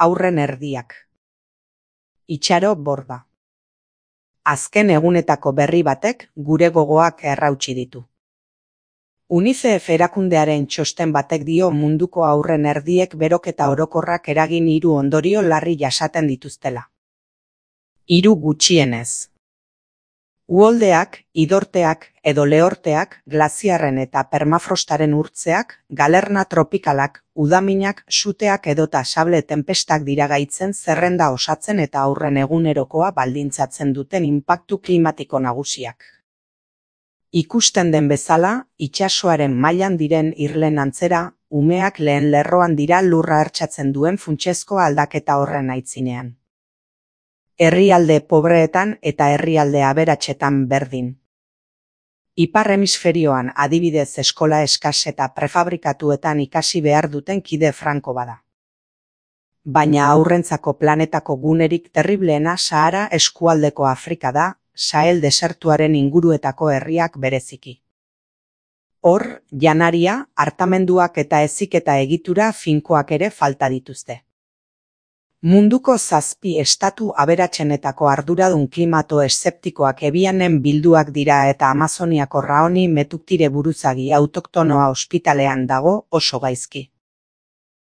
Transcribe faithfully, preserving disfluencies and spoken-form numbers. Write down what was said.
Aurren erdiak. Itxaro Borda. Azken egunetako berri batek gure gogoak errautsi ditu. UNICEF erakundearen txosten batek dio munduko aurren erdiek beroketa orokorrak eragin hiru ondorio larri jasaten dituztela. Hiru gutxienez. Uholdeak, idorteak edo lehorteak, glaziarren eta permafrostaren urtzeak, galerna tropikalak, udaminak, suteak edota sable tenpestak dira gaitzen zerrenda osatzen eta aurren egunerokoa baldintzatzen duten inpaktu klimatiko nagusiak. Ikusten den bezala, itsasoaren mailan diren irlen antzera, umeak lehen lerroan dira lurra hertsatzen duen funtsezko aldaketa horren aitzinean. Herrialde pobreetan eta herrialde aberatsetan berdin. Ipar hemisferioan adibidez eskola eskas eta prefabrikatuetan ikasi behar duten kide franko bada. Baina haurrentzako planetako gunerik terribleena Sahara eskualdeko Afrika da, Sahel desertuaren inguruetako herriak bereziki. Hor, janaria, hartamenduak eta heziketa egitura finkoak ere falta dituzte. Munduko zazpi estatu aberatsenetako arduradun klimato eszeptikoak ebianen bilduak dira eta Amazoniako Raoni Metuktire buruzagi autoktonoa ospitalean dago oso gaizki.